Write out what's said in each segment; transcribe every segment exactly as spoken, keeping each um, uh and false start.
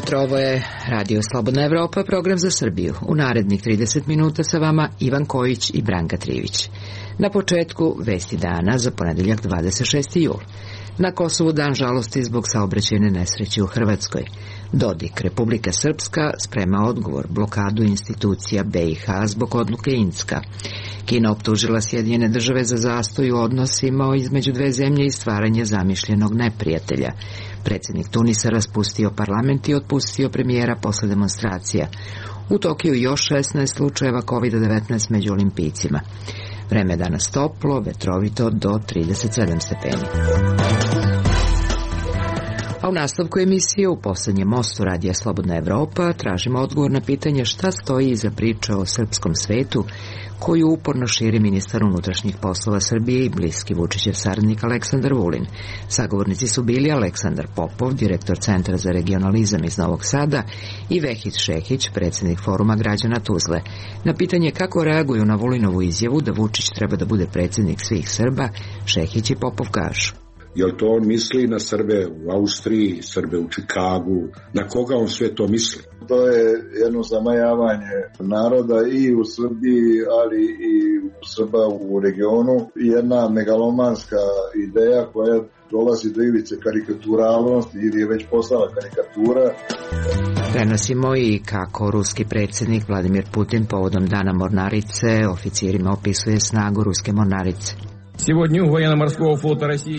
jutro, ovo je Radio Slobodna Evropa, program za Srbiju. U narednih trideset minuta sa vama Ivan Kojić i Branka Trivić. Na početku vesti dana za ponedeljak dvadeset šesti jul. Na Kosovu dan žalosti zbog saobraćajne nesreće u Hrvatskoj. Dodik, Republika Srpska sprema odgovor, blokadu institucija B i H zbog odluke Incka. Kina optužila Sjedinjene države za zastoj u odnosima između dve zemlje i stvaranje zamišljenog neprijatelja. Predsjednik Tunisa raspustio parlament i otpustio premijera posle demonstracija. U Tokiju još šesnaest slučajeva kovid devetnaest među olimpijcima. Vreme je danas toplo, vetrovito do trideset sedam stepeni. A u nastavku emisije u poslednjem mostu Radija Slobodna Evropa tražimo odgovor na pitanje šta stoji iza priče o srpskom svetu koju uporno širi ministar unutrašnjih poslova Srbije i bliski Vučićev saradnik Aleksandar Vulin. Sagovornici su bili Aleksandar Popov, direktor Centra za regionalizam iz Novog Sada, i Vehid Šehić, predsjednik Foruma građana Tuzle. Na pitanje kako reaguju na Vulinovu izjavu da Vučić treba da bude predsjednik svih Srba, Šehić i Popov kažu. Jel to on misli na Srbe u Austriji, Srbe u Čikagu? Na koga on sve to misli? To je jedno zamajavanje naroda i u Srbiji, ali i Srba u regionu. Jedna megalomanska ideja koja dolazi do ivice karikaturalnosti ili je već postala karikatura. Prenosimo i kako ruski predsjednik Vladimir Putin povodom Dana mornarice oficirima opisuje snagu ruske mornarice.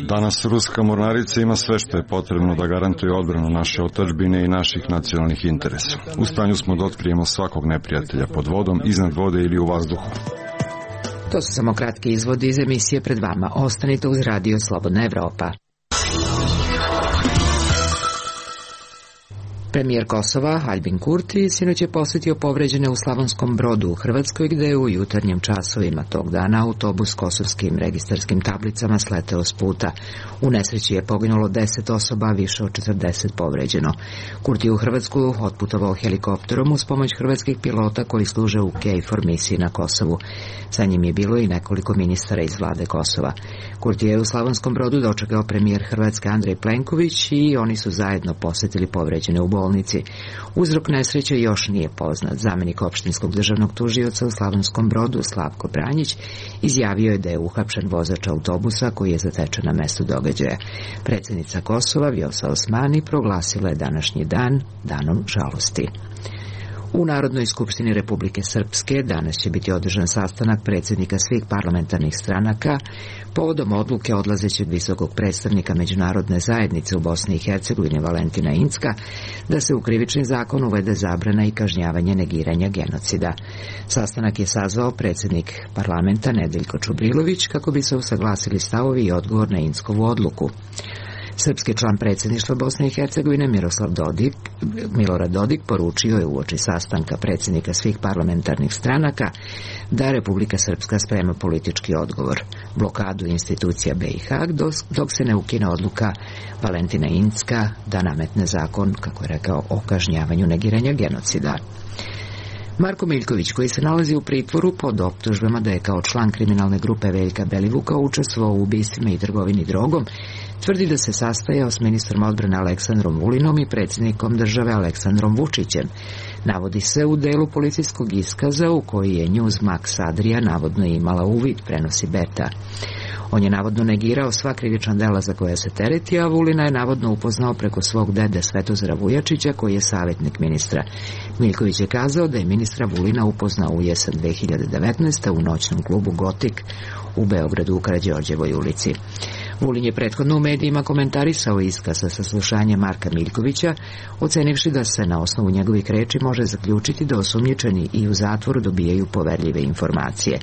Danas ruska mornarica ima sve što je potrebno da garantuje odbranu naše otadžbine i naših nacionalnih interesa. U stanju smo da otkrijemo svakog neprijatelja pod vodom, iznad vode ili u vazduhu. To su samo kratki izvodi iz emisije pred vama. Ostanite uz Radio Slobodna Evropa. Premijer Kosova, Aljbin Kurti, sinoć je posjetio povređene u Slavonskom Brodu u Hrvatskoj, gde je u jutarnjim časovima tog dana autobus s kosovskim registarskim tablicama sleteo s puta. U nesreći je poginulo deset osoba, a više od četrdeset povređeno. Kurti je u Hrvatsku otputovao helikopterom uz pomoć hrvatskih pilota koji služe u KFOR misiji na Kosovu. Sa njim je bilo i nekoliko ministara iz vlade Kosova. Kurti je u Slavonskom Brodu dočekao premijer Hrvatske Andrej Plenković i oni su zajedno posjetili povređene u bolnici. Uzrok nesreće još nije poznat. Zamenik opštinskog državnog tužioca u Slavonskom Brodu, Slavko Branjić, izjavio je da je uhapšen vozač autobusa koji je zatečen na mestu događaja. Predsjednica Kosova, Vjosa Osmani, proglasila je današnji dan danom žalosti. U Narodnoj skupštini Republike Srpske danas će biti održan sastanak predsjednika svih parlamentarnih stranaka povodom odluke odlazećeg visokog predstavnika međunarodne zajednice u Bosni i Hercegovini Valentina Incka da se u krivični zakon uvede zabrana i kažnjavanje negiranja genocida. Sastanak je sazvao predsjednik parlamenta Nedeljko Čubrilović kako bi se usaglasili stavovi i odgovor na Inckovu odluku. Srpski član predsjedništva Bosne i Hercegovine Miroslav Dodik, Milorad Dodik poručio je uoči sastanka predsjednika svih parlamentarnih stranaka da Republika Srpska sprema politički odgovor, blokadu institucija B i H dok se ne ukine odluka Valentina Incka da nametne zakon, kako je rekao, o kažnjavanju negiranja genocida. Marko Miljković, koji se nalazi u pritvoru pod optužbama da je kao član kriminalne grupe Veljka Belivuka učestvovao u ubistvima i trgovini drogom, tvrdi da se sastajao s ministrom odbrane Aleksandrom Vulinom i predsjednikom države Aleksandrom Vučićem. Navodi se u delu policijskog iskaza u koji je Newsmax Adria navodno imala uvid, prenosi Beta. On je navodno negirao sva krivična dela za koja se tereti, a Vulina je navodno upoznao preko svog dede Svetozara Vujačića, koji je savjetnik ministra. Miljković je kazao da je ministra Vulina upoznao u jesen dve hiljade devetnaeste. u noćnom klubu Gotik u Beogradu u Karađorđevoj ulici. Vulin je prethodno u medijima komentarisao iskaz sa saslušanjem Marka Miljkovića, ocenivši da se na osnovu njegovih reči može zaključiti da osumnjičeni i u zatvoru dobijaju poverljive informacije.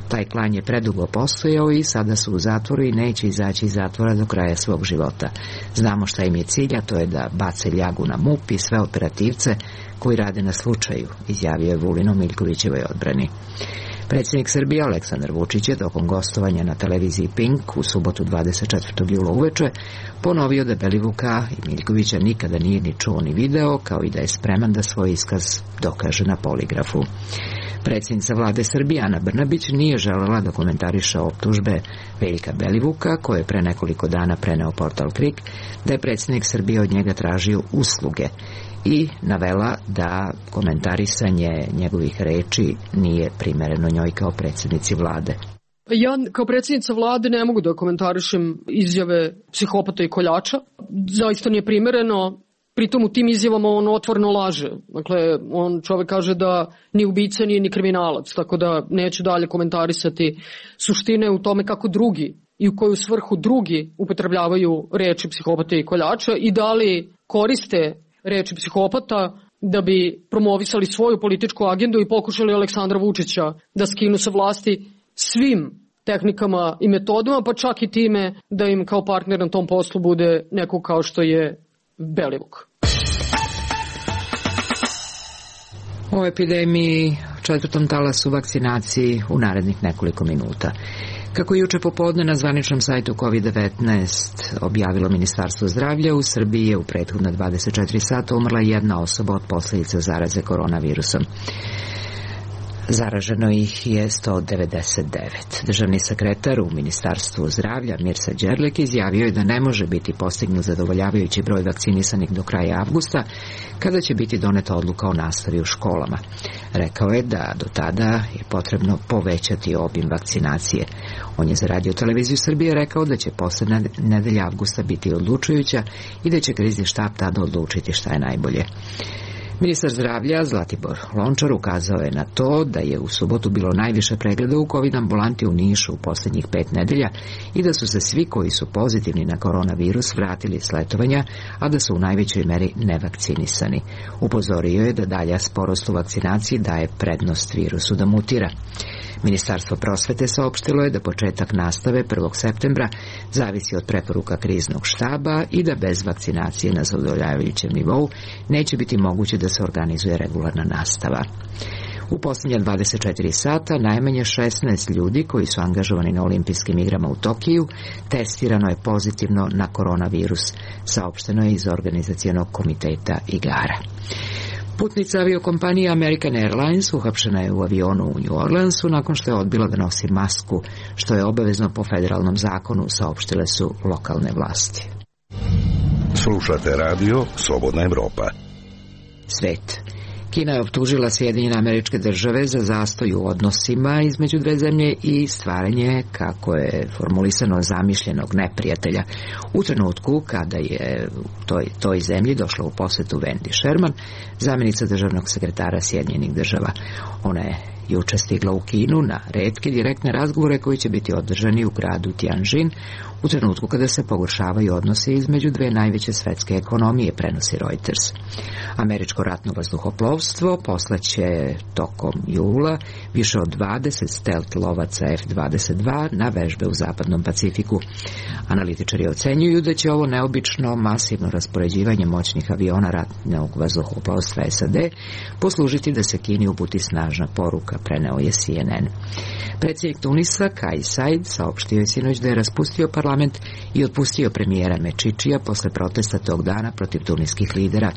Taj klan je predugo postojao i sada su u zatvoru i neće izaći iz zatvora do kraja svog života. Znamo šta im je cilj, a to je da bace ljagu na M U P i sve operativce koji rade na slučaju, izjavio je Vulin o Miljkovićevoj odbrani. Predsjednik Srbije Aleksandar Vučić je tokom gostovanja na televiziji Pink u subotu dvadeset četvrtog jula uveče ponovio da Belivuka i Miljkovića nikada nije ni čuo ni video, kao i da je spreman da svoj iskaz dokaže na poligrafu. Predsjednica vlade Srbije Ana Brnabić nije želela da komentariše optužbe Veljka Belivuka, koje je pre nekoliko dana preneo portal Krik, da je predsjednik Srbije od njega tražio usluge i navela da komentarisanje njegovih reči nije primereno njoj kao predsjednici vlade. Ja kao predsjednica vlade ne mogu da komentarišem izjave psihopata i koljača. Zaista nije primereno. Pritom u tim izjavama on otvoreno laže. Dakle, on čovek kaže da ni ubica, nije ni kriminalac, tako da neću dalje komentarisati suštine u tome kako drugi i u koju svrhu drugi upotrebljavaju reči psihopata i koljača i da li koriste reči psihopata da bi promovisali svoju političku agendu i pokušali Aleksandra Vučića da skinu sa vlasti svim tehnikama i metodama, pa čak i time da im kao partner na tom poslu bude neko kao što je Belivuk. O epidemiji, četvrtom talasu vakcinaciji u narednih nekoliko minuta. Kako je juče popodne na zvaničnom sajtu kovid devetnaest objavilo Ministarstvo zdravlja, u Srbiji je u prethodna dvadeset četiri sata umrla jedna osoba od posljedica zaraze koronavirusom. Zaraženo ih je sto devedeset devet. Državni sekretar u Ministarstvu zdravlja Mirsa Đerlek izjavio je da ne može biti postignut zadovoljavajući broj vakcinisanih do kraja avgusta, kada će biti doneta odluka o nastavi u školama. Rekao je da do tada je potrebno povećati obim vakcinacije. On je za Radio televiziju Srbije rekao da će poslednja nedelja avgusta biti odlučujuća i da će krizni štab tada odlučiti šta je najbolje. Ministar zdravlja Zlatibor Lončar ukazao je na to da je u subotu bilo najviše pregleda u COVID ambulanti u Nišu u posljednjih pet nedelja i da su se svi koji su pozitivni na koronavirus vratili s letovanja, a da su u najvećoj meri nevakcinisani. Upozorio je da dalja sporost u vakcinaciji daje prednost virusu da mutira. Ministarstvo prosvete saopštilo je da početak nastave prvog septembra zavisi od preporuka kriznog štaba i da bez vakcinacije na zadovoljavajućem nivou neće biti moguće da se organizuje regularna nastava. U posljednja dvadeset četiri sata najmanje šesnaest ljudi koji su angažovani na olimpijskim igrama u Tokiju testirano je pozitivno na koronavirus, saopšteno je iz organizacionog komiteta igara. Putnica aviokompanije American Airlines uhapšena je u avionu u New Orleansu nakon što je odbila da nosi masku, što je obavezno po federalnom zakonu, saopštile su lokalne vlasti. Slušate radio Slobodna Evropa. Svet. Kina je optužila Sjedinjene Američke Države za zastoj u odnosima između dve zemlje i stvaranje, kako je formulisano, zamišljenog neprijatelja. U trenutku kada je u toj, toj zemlji došla u posetu Wendy Sherman, zamjenica državnog sekretara Sjedinjenih Država. Ona je juče stigla u Kinu na retke direktne razgovore koji će biti održani u gradu Tianjin u trenutku kada se pogoršavaju odnosi između dve najveće svetske ekonomije, prenosi Reuters. Američko ratno vazduhoplovstvo poslaće tokom jula više od dvadeset stealth lovaca F dvadeset dva na vežbe u zapadnom Pacifiku. Analitičari ocenjuju da će ovo neobično masivno raspoređivanje moćnih aviona ratnog vazduhoplovstva S A D poslužiti da se Kini uputi snažna poruka, preneo je C N N. Predsjednik Tunisa Kais Saied saopštio je sinoć da je raspustio parlament i otpustio premijera Mečičija posle protesta tog dana protiv tuniskih lidera.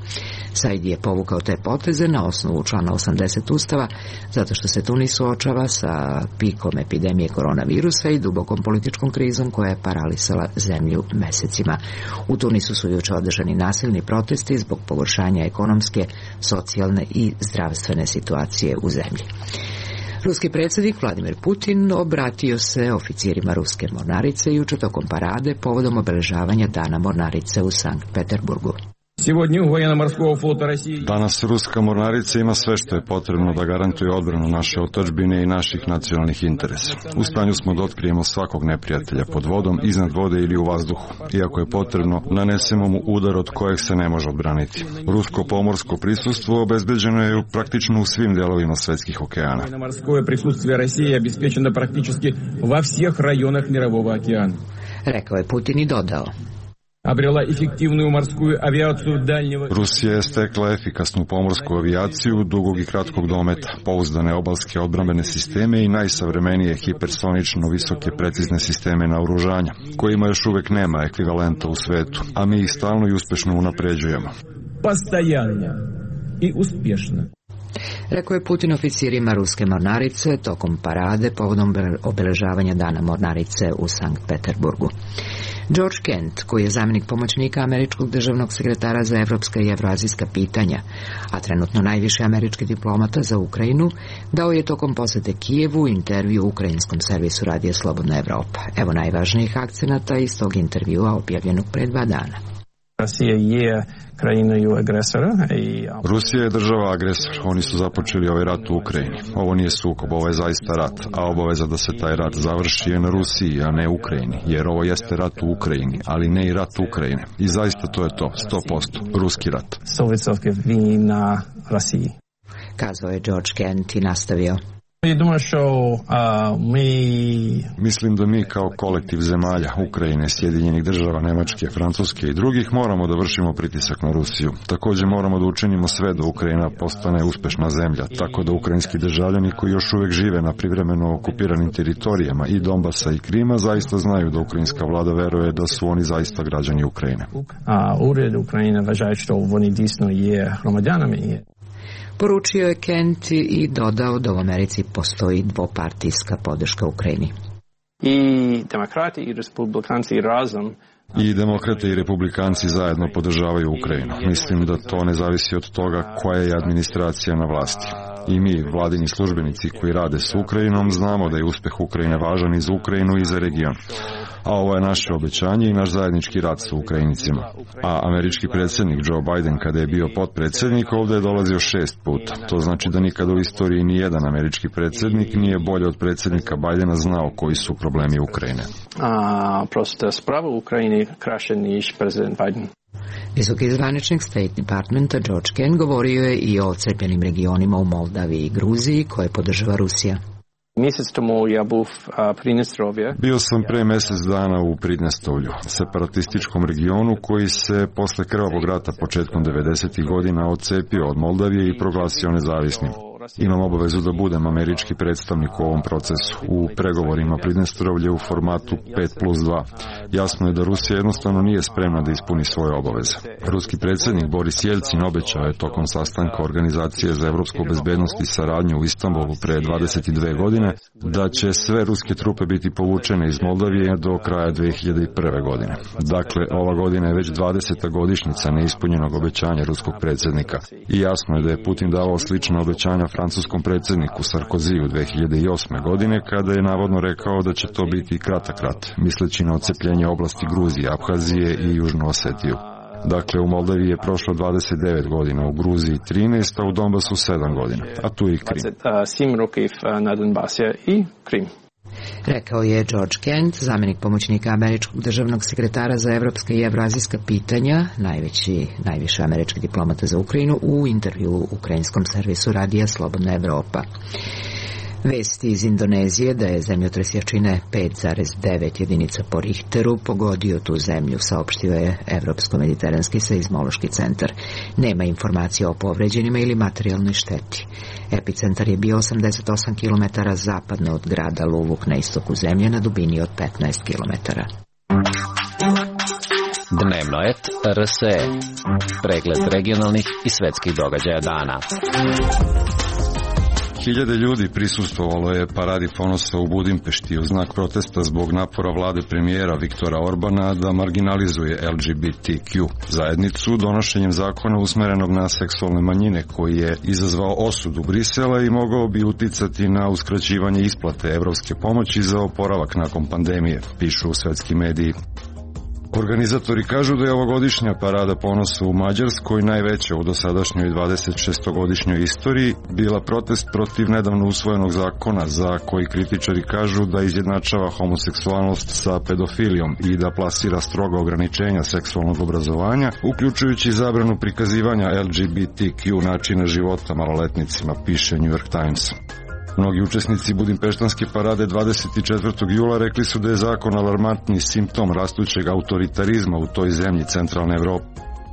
Saied je povukao te poteze na osnovu člana osamdeset Ustava zato što se Tunis suočava sa pikom epidemije koronavirusa i dubokom političkom krizom koja je paralisala zemlju mesecima. U Tunisu su juče održani nasilni protesti zbog pogoršanja ekonomske, socijalne i zdravstvene situacije u zemlji. Ruski predsjednik Vladimir Putin obratio se oficirima ruske mornarice juče tokom parade povodom obeležavanja Dana mornarice u Sankt Peterburgu. Danas ruska mornarica ima sve što je potrebno da garantuje odbranu naše otadžbine i naših nacionalnih interesa. U stanju smo da otkrijemo svakog neprijatelja pod vodom, iznad vode ili u vazduhu. Iako je potrebno, nanesemo mu udar od kojeg se ne može odbraniti. Rusko pomorsko prisustvo obezbeđeno je praktično u svim delovima svetskih okeana. Rekao je Putin i dodao: Rusija je stekla efikasnu pomorsku avijaciju dugog i kratkog dometa, pouzdane obalske odbrambene sisteme i najsavremenije hipersonično visoke precizne sisteme naoružanja, kojima još uvek nema ekvivalenta u svetu, a mi ih stalno i uspešno unapređujemo. Postojanno i uspješno. Rekao je Putin oficirima ruske mornarice tokom parade povodom obeležavanja Dana mornarice u Sankt Peterburgu. George Kent, koji je zamjenik pomoćnika američkog državnog sekretara za evropska i evroazijska pitanja, a trenutno najviši američki diplomata za Ukrajinu, dao je tokom posete Kijevu intervju ukrajinskom servisu Radija Slobodna Evropa. Evo najvažnijih akcenata iz tog intervjua objavljenog pre dva dana. Rusija je krajinою agresora. I... Rusija je država agresor. Oni su započeli ovaj rat u Ukrajini. Ovo nije sukob, ovo je zaista rat. A obaveza da se taj rat završi je na Rusiji, a ne Ukrajini. Jer ovo jeste rat u Ukrajini, ali ne i rat Ukrajine. I zaista to je to, sto posto. Ruski rat. sto posto vina Rusiji. Kazao je George Kent i nastavio. Mislim da mi kao kolektiv zemalja, Ukrajine, Sjedinjenih država, Nemačke, Francuske i drugih moramo da vršimo pritisak na Rusiju. Također moramo da učinimo sve da Ukrajina postane uspešna zemlja, tako da ukrajinski državljani koji još uvek žive na privremeno okupiranim teritorijama i Donbasa i Krima zaista znaju da ukrajinska vlada veruje da su oni zaista građani Ukrajine. A ured Ukrajine važaje što oni disno je gромадянами. Poručio je Kent i dodao da u Americi postoji dvopartijska podrška Ukrajini. I demokrati i republikanci razom I demokrate i republikanci zajedno podržavaju Ukrajinu. Mislim da to ne zavisi od toga koja je administracija na vlasti. I mi, vladini službenici koji rade s Ukrajinom, znamo da je uspeh Ukrajine važan i za Ukrajinu i za region. A ovo je naše obećanje i naš zajednički rad sa Ukrajinicima. A američki predsjednik Joe Biden, kada je bio potpredsjednik, ovdje je dolazio šest puta. To znači da nikada u istoriji ni jedan američki predsjednik nije bolje od predsjednika Bidena znao koji su problemi Ukrajine. A, prosto sprava u Ukrajini kraše niž predsjednik Biden. Visoki zvaničnik State Departmenta George Kent govorio je i o odcepljenim regionima u Moldaviji i Gruziji koje podržava Rusija. Mjesec tomu ja buv Pridnjestrovje. Bio sam pre mjesec dana u Pridnjestovlju, separatističkom regionu koji se posle krvavog rata početkom devedesetih godina odcepio od Moldavije i proglasio nezavisnim. Imam obavezu da budem američki predstavnik u ovom procesu, u pregovorima Pridnjestrovlje u formatu pet plus dva. Jasno je da Rusija jednostavno nije spremna da ispuni svoje obaveze. Ruski predsjednik Boris Jelcin obećao je tokom sastanka Organizacije za evropsku bezbednost i saradnju u Istanbulu pre dvadeset dve godine da će sve ruske trupe biti povučene iz Moldavije do kraja dve hiljade prve. godine. Dakle, ova godina je već dvadeseta godišnjica neispunjenog obećanja ruskog predsjednika. I jasno je da je Putin davao slična obećanja francuskom predsjedniku Sarkoziju dve hiljade osme. godine kada je navodno rekao da će to biti kratak rat, misleći na odcepljenje oblasti Gruzije, Abhazije i Južnu Osetiju. Dakle, u Moldaviji je prošlo dvadeset devet godina, u Gruziji trinaest, a u Donbasu sedam godina, a tu i Krim. sedam rokів na Donbasu i Krim. Rekao je George Kent, zamjenik pomoćnika američkog državnog sekretara za evropska i evroazijska pitanja, najveći, najviše američki diplomata za Ukrajinu, u intervju ukrajinskom servisu Radija Slobodna Evropa. Vesti iz Indonezije da je zemljotres jačine pet zarez devet jedinica po Richteru pogodio tu zemlju, saopštio je Evropsko-mediteranski seizmološki centar. Nema informacija o povređenima ili materijalnoj šteti. Epicentar je bio osamdeset osam kilometara zapadno od grada Luvuk na istoku zemlje na dubini od petnaest kilometara. Dnevno et R S E. Pregled regionalnih i svetskih događaja dana. Hiljade ljudi prisustvovalo je paradi ponosa u Budimpešti u znak protesta zbog napora vlade premijera Viktora Orbana da marginalizuje L G B T Q zajednicu donošenjem zakona usmerenog na seksualne manjine koji je izazvao osudu Brisela i mogao bi uticati na uskraćivanje isplate evropske pomoći za oporavak nakon pandemije, pišu svetski mediji. Organizatori kažu da je ovogodišnja parada ponosa u Mađarskoj, najveća u dosadašnjoj dvadesetšestogodišnjoj istoriji, bila protest protiv nedavno usvojenog zakona za koji kritičari kažu da izjednačava homoseksualnost sa pedofilijom i da plasira stroga ograničenja seksualnog obrazovanja, uključujući zabranu prikazivanja L G B T Q načina života maloletnicima, piše New York Times. Mnogi učesnici budimpeštanske parade dvadeset četvrtog jula rekli su da je zakon alarmantni simptom rastućeg autoritarizma u toj zemlji centralne Evrope.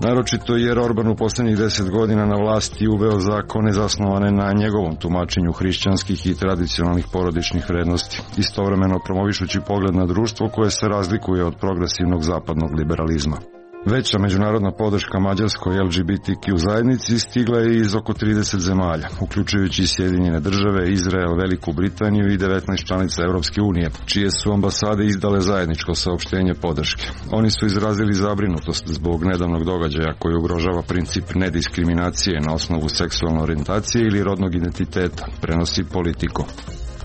Naročito jer Orban u posljednjih deset godina na vlasti uveo zakone zasnovane na njegovom tumačenju hrišćanskih i tradicionalnih porodičnih vrednosti, istovremeno promovišući pogled na društvo koje se razlikuje od progresivnog zapadnog liberalizma. Veća međunarodna podrška mađarskoj L G B T Q zajednici stigla je iz oko trideset zemalja, uključujući Sjedinjene države, Izrael, Veliku Britaniju i devetnaest članica Evropske unije, čije su ambasade izdale zajedničko saopštenje podrške. Oni su izrazili zabrinutost zbog nedavnog događaja koji ugrožava princip nediskriminacije na osnovu seksualne orijentacije ili rodnog identiteta, prenosi Politico.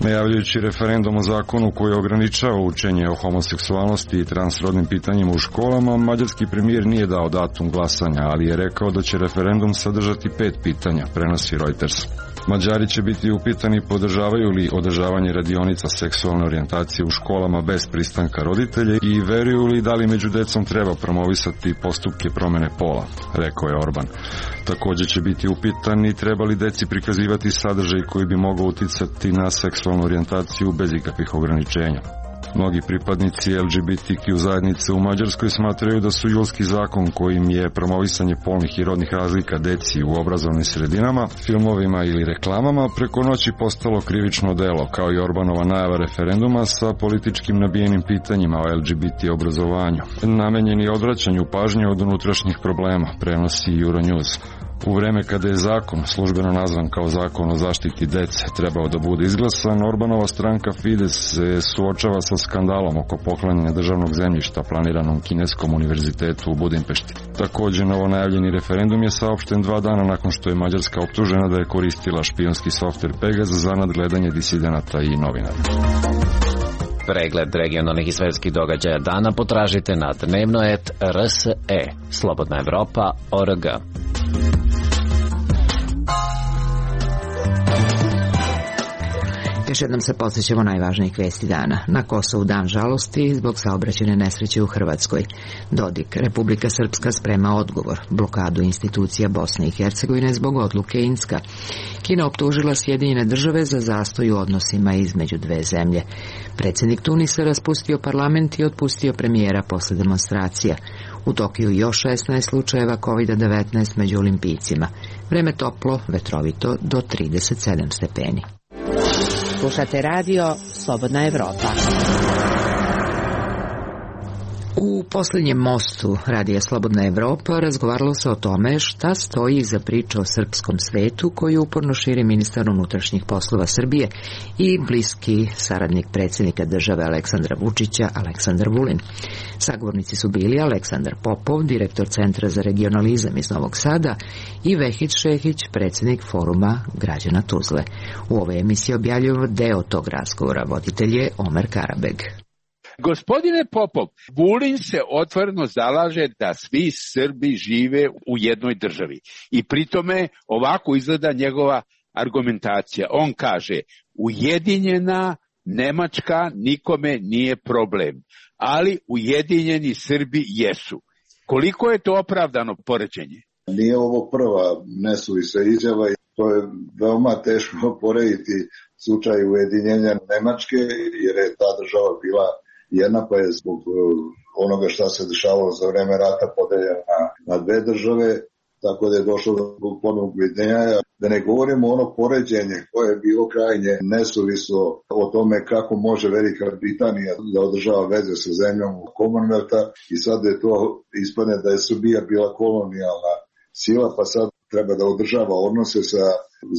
Najavljujući referendum o zakonu koji ograničava učenje o homoseksualnosti i transrodnim pitanjima u školama, mađarski premijer nije dao datum glasanja, ali je rekao da će referendum sadržati pet pitanja, prenosi Reuters. Mađari će biti upitani podržavaju li održavanje radionica seksualne orijentacije u školama bez pristanka roditelja i veruju li da li među decom treba promovisati postupke promene pola, rekao je Orban. Također će biti upitani treba li deci prikazivati sadržaj koji bi mogao uticati na seksualnu orijentaciju bez ikakvih ograničenja. Mnogi pripadnici L G B T Q zajednice u Mađarskoj smatraju da su julski zakon kojim je promovisanje polnih i rodnih razlika deci u obrazovnim sredinama, filmovima ili reklamama preko noći postalo krivično delo, kao i Orbanova najava referenduma sa političkim nabijenim pitanjima o L G B T obrazovanju, namenjeni odvraćanju pažnje od unutrašnjih problema, prenosi Euronews. U vreme kada je zakon, službeno nazvan kao zakon o zaštiti dece, trebao da bude izglasan, Orbanova stranka Fides se suočava sa skandalom oko poklanjanja državnog zemljišta planiranom Kineskom univerzitetu u Budimpešti. Također, novo najavljeni referendum je saopšten dva dana nakon što je Mađarska optužena da je koristila špijunski softver Pegasus za nadgledanje disidenata i novinara. Pregled regionalnih i svetskih događaja dana potražite na dnevnoet R S E, Slobodna Evropa, O R G. Još jednom se posjećamo najvažnijih vesti dana. Na Kosovu dan žalosti zbog saobraćajne nesreće u Hrvatskoj. Dodik, Republika Srpska sprema odgovor. Blokadu institucija Bosne i Hercegovine zbog odluke Inska. Kina optužila Sjedinjene države za zastoj u odnosima između dve zemlje. Predsjednik Tunisa raspustio parlament i otpustio premijera posle demonstracija. U Tokiju još šesnaest slučajeva kovid devetnaest među olimpijcima. Vreme toplo, vetrovito do trideset sedam stepeni. Slušate radio Slobodna Evropa. U posljednjem mostu radija Slobodna Evropa razgovaralo se o tome šta stoji iza priče o srpskom svetu koju uporno širi ministar unutrašnjih poslova Srbije i bliski saradnik predsjednika države Aleksandra Vučića, Aleksandar Vulin. Sagovornici su bili Aleksandar Popov, direktor Centra za regionalizam iz Novog Sada, i Vehid Šehić, predsjednik Foruma građana Tuzle. U ovoj emisiji objavljujemo deo tog razgovora, voditelj je Omer Karabeg. Gospodine Popov, Vulin se otvoreno zalaže da svi Srbi žive u jednoj državi i pritome ovako izgleda njegova argumentacija. On kaže, ujedinjena Nemačka nikome nije problem, ali ujedinjeni Srbi jesu. Koliko je to opravdano poređenje? Nije ovo prva nesuvisla izjava i to je veoma teško porediti slučaj ujedinjenja Nemačke jer je ta država bila jedna, pa je zbog onoga šta se dešavalo za vreme rata podeljena na dve države, tako da je došlo do ponovnog ujedinjenja. Da ne govorimo ono poređenje koje je bilo krajnje nesuvislo o tome kako može Velika Britanija da održava veze sa zemljom Commonwealtha i sad je to ispadne da je Srbija bila kolonijalna sila, pa sad treba da održava odnose sa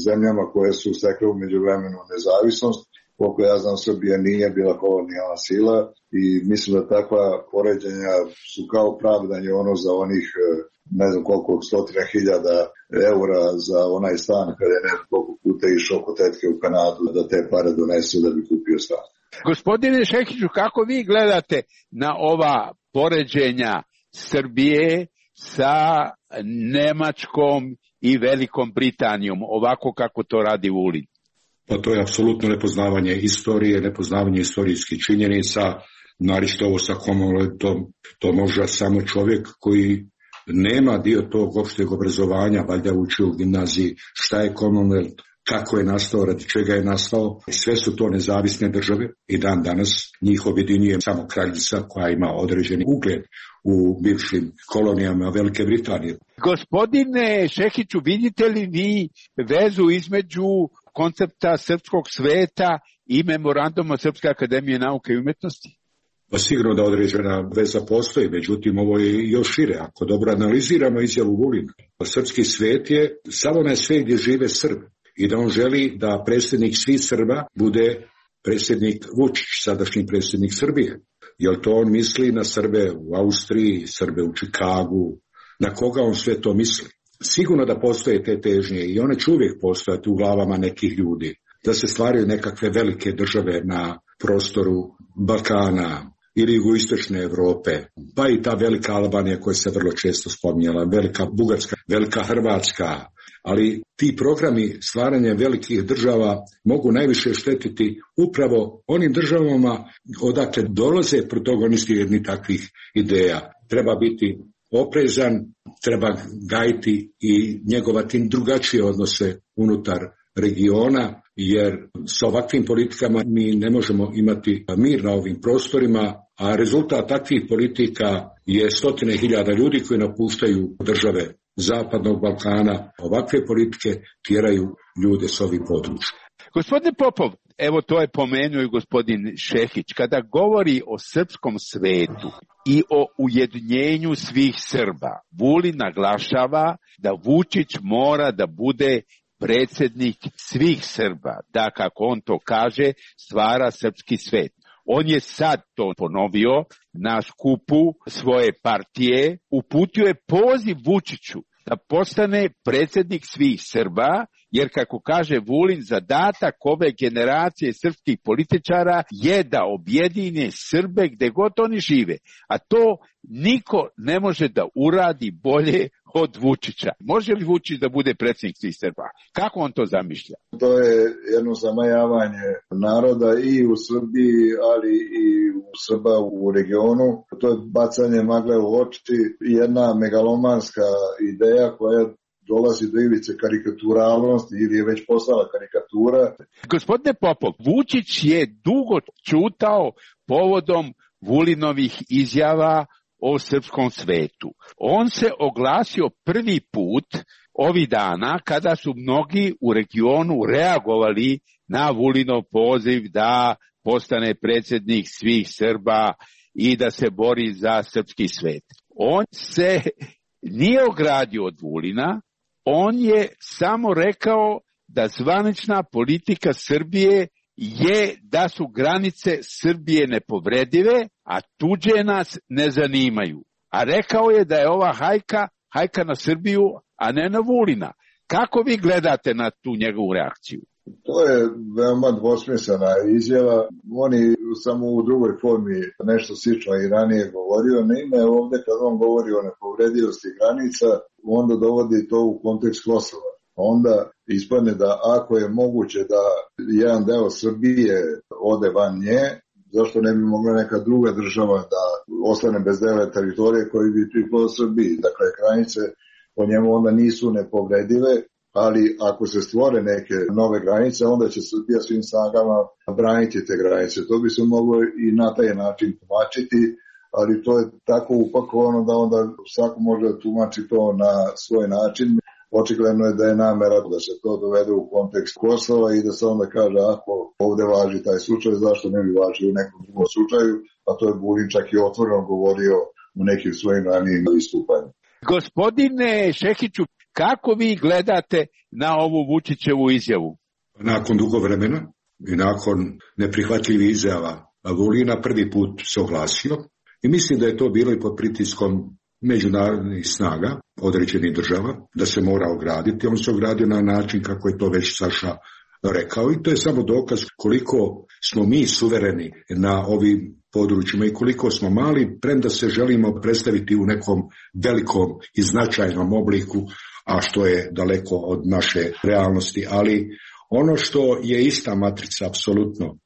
zemljama koje su stekle u međuvremenu nezavisnost. Koliko ja znam, Srbija nije bila kolonijalna sila i mislim da takva poređenja su kao pravdanje ono za onih ne znam koliko stotina hiljada eura za onaj stan kada je neko koliko puta išao kod tetke u Kanadu da te pare donesu da bi kupio stan. Gospodine Šehiću, kako vi gledate na ova poređenja Srbije sa Nemačkom i Velikom Britanijom, ovako kako to radi Vulin? Pa to je apsolutno nepoznavanje istorije, nepoznavanje istorijskih činjenica, naročito ovo sa Commonwealthom, to može samo čovjek koji nema dio tog opšteg obrazovanja, valjda uči u gimnaziji šta je Commonwealth, kako je nastao, radi čega je nastao. Sve su to nezavisne države i dan danas njih objedinjuje samo kraljica koja ima određeni ugled u bivšim kolonijama Velike Britanije. Gospodine Šehiću, vidite li vi vezu između koncepta srpskog sveta i memoranduma Srpske akademije nauke i umetnosti? Pa sigurno da određena veza postoji, međutim ovo je još šire. Ako dobro analiziramo izjavu Vulina, srpski svet je samo onaj svet gdje žive Srbi i da on želi da predsjednik svih Srba bude predsjednik Vučić, sadašnji predsjednik Srbije. Jer to on misli na Srbe u Austriji, Srbe u Čikagu, na koga on sve to misli? Sigurno da postoje te težnje i one će uvijek postojati u glavama nekih ljudi, da se stvaraju nekakve velike države na prostoru Balkana ili jugoistočne Europe, pa i ta velika Albanija koja se vrlo često spominjala, velika Bugarska, velika Hrvatska, ali ti programi stvaranja velikih država mogu najviše štetiti upravo onim državama odakle dolaze protagonisti jednih takvih ideja. Treba biti oprezan, treba gajiti i njegovati drugačije odnose unutar regiona, jer s ovakvim politikama mi ne možemo imati mir na ovim prostorima, a rezultat takvih politika je stotine hiljada ljudi koji napuštaju države Zapadnog Balkana. Ovakve politike tjeraju ljude s ovih područja. Gospodine Popov, evo to je pomenuo i gospodin Šehić, kada govori o srpskom svetu i o ujedinjenju svih Srba, Vulin naglašava da Vučić mora da bude predsjednik svih Srba, da, kako on to kaže, stvara srpski svet. On je sad to ponovio na skupu svoje partije, uputio je poziv Vučiću da postane predsjednik svih Srba, jer kako kaže Vulin, zadatak ove generacije srpskih političara je da objedine Srbe gde god oni žive, a to niko ne može da uradi bolje od Vučića. Može li Vučić da bude predsjednik svih Srba? Kako on to zamišlja? To je jedno zamajavanje naroda i u Srbiji, ali i u Srba u regionu. To je bacanje magle u oči, jedna megalomanska ideja koja dolazi do ivice karikaturalnosti ili je već postala karikatura. Gospodine Popov, Vučić je dugo ćutao povodom Vulinovih izjava o srpskom svetu. On se oglasio prvi put ovih dana kada su mnogi u regionu reagovali na Vulinov poziv da postane predsjednik svih Srba i da se bori za srpski svet. On se nije ogradio od Vulina, on je samo rekao da zvanična politika Srbije je da su granice Srbije nepovredive, a tuđe nas ne zanimaju. A rekao je da je ova hajka, hajka na Srbiju, a ne na Vulina. Kako vi gledate na tu njegovu reakciju? To je veoma dvosmislena izjava. On je samo u drugoj formi nešto slično i ranije govorio. Naime, ovdje kad on govori o nepovredivosti granica, onda dovodi to u kontekst Kosova. Onda ispadne da ako je moguće da jedan deo Srbije ode van nje, zašto ne bi mogla neka druga država da ostane bez dela teritorije koji bi pripao Srbiji? Dakle, granice po njemu onda nisu nepovredive, ali ako se stvore neke nove granice, onda će Srbija svim snagama braniti te granice. To bi se moglo i na taj način tumačiti, ali to je tako upakovano da onda svako može da tumači to na svoj način. Očigledno je da je namera da se to dovede u kontekst Kosova i da se onda kaže ako ovde važi taj slučaj, zašto ne bi važio u nekom drugom slučaju, a to je Vulin čak i otvoreno govorio u nekim svojim ranijim istupanjima. Gospodine Šehiću, kako vi gledate na ovu Vučićevu izjavu? Nakon dugo vremena i nakon neprihvatljivih izjava Vulina prvi put se oglasio i mislim da je to bilo i pod pritiskom međunarodnih snaga određenih država, da se mora ograditi. On se ogradio na način kako je to već Saša rekao i to je samo dokaz koliko smo mi suvereni na ovim područjima i koliko smo mali, premda se želimo predstaviti u nekom velikom i značajnom obliku, a što je daleko od naše realnosti. Ali ono što je ista matrica apsolutno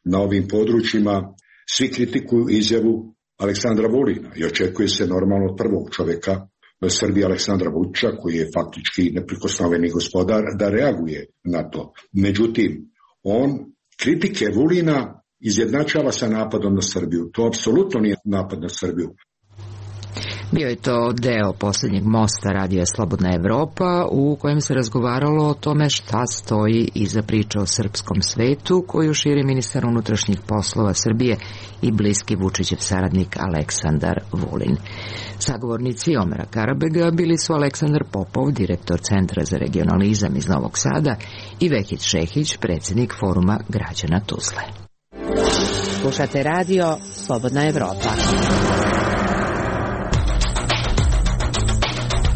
na ovim područjima, svi kritikuju izjavu Aleksandra Vulina i očekuje se normalno od prvog čovjeka Srbije Aleksandra Vučića, koji je faktički neprikosnoveni gospodar, da reaguje na to. Međutim, on kritike Vulina izjednačava sa napadom na Srbiju. To apsolutno nije napad na Srbiju. Bio je to deo posljednjeg mosta radija Slobodna Evropa u kojem se razgovaralo o tome šta stoji iza priče o srpskom svetu koju širi ministar unutrašnjih poslova Srbije i bliski Vučićev saradnik Aleksandar Vulin. Sagovornici Omera Karabega bili su Aleksandar Popov, direktor Centra za regionalizam iz Novog Sada, i Vehid Šehić, predsjednik Foruma građana Tuzle. Slušate radio Slobodna Evropa.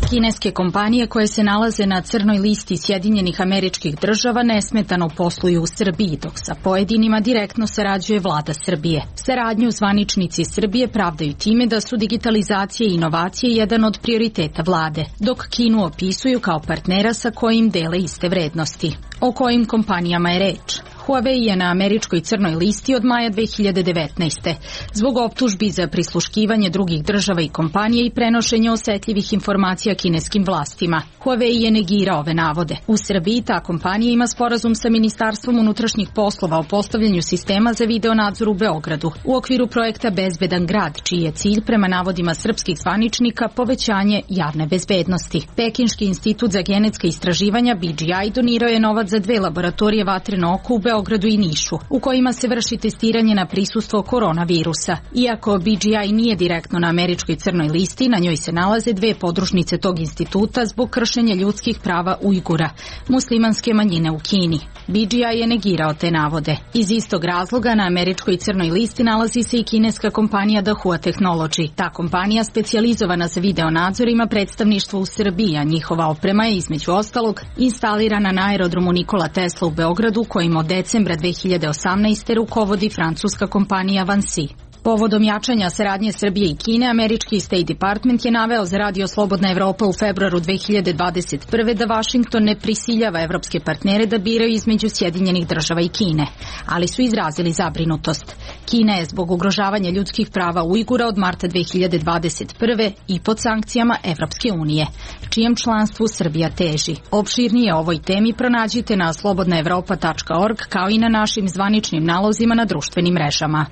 Kineske kompanije koje se nalaze na crnoj listi Sjedinjenih Američkih Država nesmetano posluju u Srbiji, dok sa pojedinima direktno sarađuje vlada Srbije. Saradnju zvaničnici Srbije pravdaju time da su digitalizacija i inovacije jedan od prioriteta vlade, dok Kinu opisuju kao partnera sa kojim dele iste vrednosti. O kojim kompanijama je reč? Huawei je na američkoj crnoj listi od maja dve hiljade devetnaeste. Zbog optužbi za prisluškivanje drugih država i kompanije i prenošenje osetljivih informacija kineskim vlastima. Huawei je negirao ove navode. U Srbiji ta kompanija ima sporazum sa Ministarstvom unutrašnjih poslova o postavljanju sistema za videonadzor u Beogradu u okviru projekta Bezbedan grad, čiji je cilj prema navodima srpskih zvaničnika povećanje javne bezbednosti. Pekinški institut za genetska istraživanja B G I donirao je novac za dve laboratorije vatreno oko u Beogradu Beogradu i Nišu, u kojima se vrši testiranje na prisustvo koronavirusa. Iako B G I nije direktno na američkoj crnoj listi, na njoj se nalaze dve podružnice tog instituta zbog kršenja ljudskih prava Ujgura, muslimanske manjine u Kini. B G I je negirao te navode. Iz istog razloga na američkoj crnoj listi nalazi se i kineska kompanija Dahua Technology. Ta kompanija, specijalizovana za videonadzor, ima predstavništvo u Srbiji, a njihova oprema je između ostalog instalirana na aerodromu Nikola Tesla u Beogradu, kojim od decembra dve hiljade osamnaeste. rukovodi francuska kompanija Vansi. Povodom jačanja saradnje Srbije i Kine, američki State Department je naveo za radio Slobodna Evropa u februaru dve hiljade dvadeset prve. da Vašington ne prisiljava evropske partnere da biraju između Sjedinjenih Država i Kine, ali su izrazili zabrinutost. Kina je zbog ugrožavanja ljudskih prava Ujgura od marta dve hiljade dvadeset prve. i pod sankcijama Evropske unije, čijem članstvu Srbija teži. Opširnije o ovoj temi pronađite na slobodna evropa tačka org kao i na našim zvaničnim nalozima na društvenim mrežama.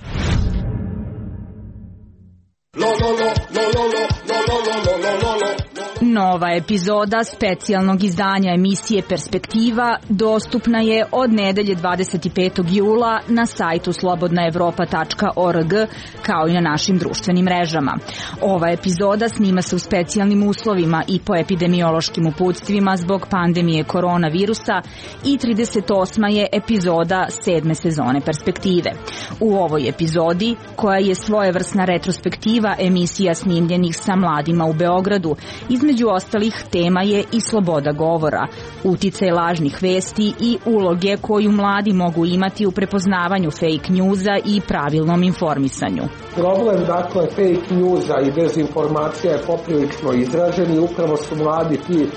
Nova epizoda specijalnog izdanja emisije Perspektiva dostupna je od nedelje dvadeset petog jula na sajtu slobodna evropa tačka org kao i na našim društvenim mrežama. Ova epizoda snima se u specijalnim uslovima i po epidemiološkim uputstvima zbog pandemije koronavirusa i trideset osma je epizoda sedme sezone Perspektive. U ovoj epizodi, koja je svojevrsna retrospektiva emisija snimljenih sa mladima u Beogradu, između ostalih tema je i sloboda govora, uticaj lažnih vesti i uloge koju mladi mogu imati u prepoznavanju fake newsa i pravilnom informisanju. Problem, dakle, fake newsa i dezinformacija je poprilično izražen i upravo su mladi ti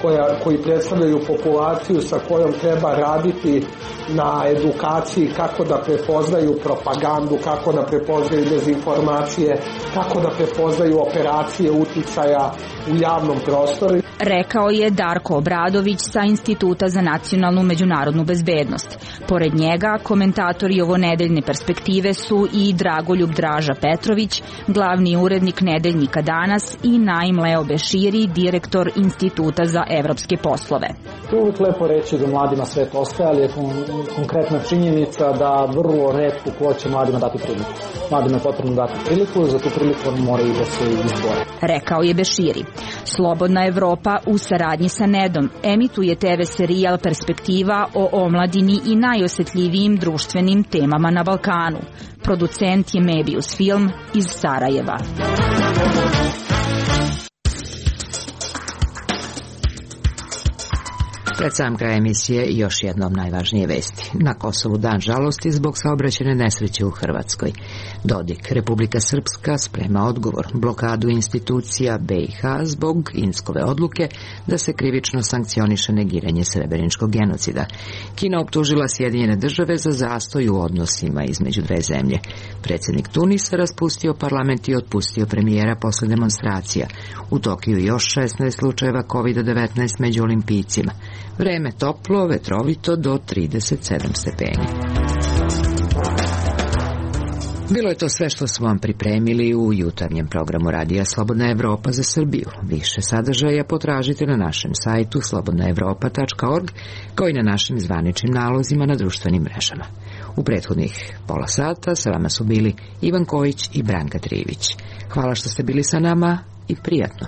koja, koji predstavljaju populaciju sa kojom treba raditi na edukaciji kako da prepoznaju propagandu, kako da prepoznaju dezinformacije, kako da prepoznaju operacije uticaja u javnom prostoru. Rekao je Darko Obradović sa Instituta za nacionalnu međunarodnu bezbednost. Pored njega, komentatori ovonedeljne Perspektive su i Dragoljub Draža Petrović, glavni urednik nedeljnika Danas, i Naim Leo Beširi, direktor Instituta za evropske poslove. To je uvijek lepo reći da mladima svet ostaje, ali je konkretna činjenica da vrlo retko ko će mladima dati priliku. Mladima je potrebno dati priliku, za tu priliku oni moraju da se izbore. Rekao je Beširi. Slobodna Evropa u saradnji sa Nedom emituje te ve serijal Perspektiva o omladini i najosetljivijim društvenim temama na Balkanu. Producent je Mebius Film iz Sarajeva. Pred sam kraj emisije još jednom najvažnije vesti. Na Kosovu dan žalosti zbog saobraćajne nesreće u Hrvatskoj. Dodik, Republika Srpska sprema odgovor, blokadu institucija be i ha zbog Inskove odluke da se krivično sankcioniše negiranje srebreničkog genocida. Kina optužila Sjedinjene Države za zastoj u odnosima između dve zemlje. Predsjednik Tunisa raspustio parlament i otpustio premijera posle demonstracija. U Tokiju još šesnaest slučajeva kovid devetnaest među olimpijcima. Vreme toplo, vetrovito do trideset sedam stepeni. Bilo je to sve što smo vam pripremili u jutarnjem programu Radija Slobodna Evropa za Srbiju. Više sadržaja potražite na našem sajtu slobodna evropa tačka org, kao i na našim zvaničnim nalozima na društvenim mrežama. U prethodnih pola sata sa vama su bili Ivan Kojić i Branka Trivić. Hvala što ste bili sa nama i prijatno.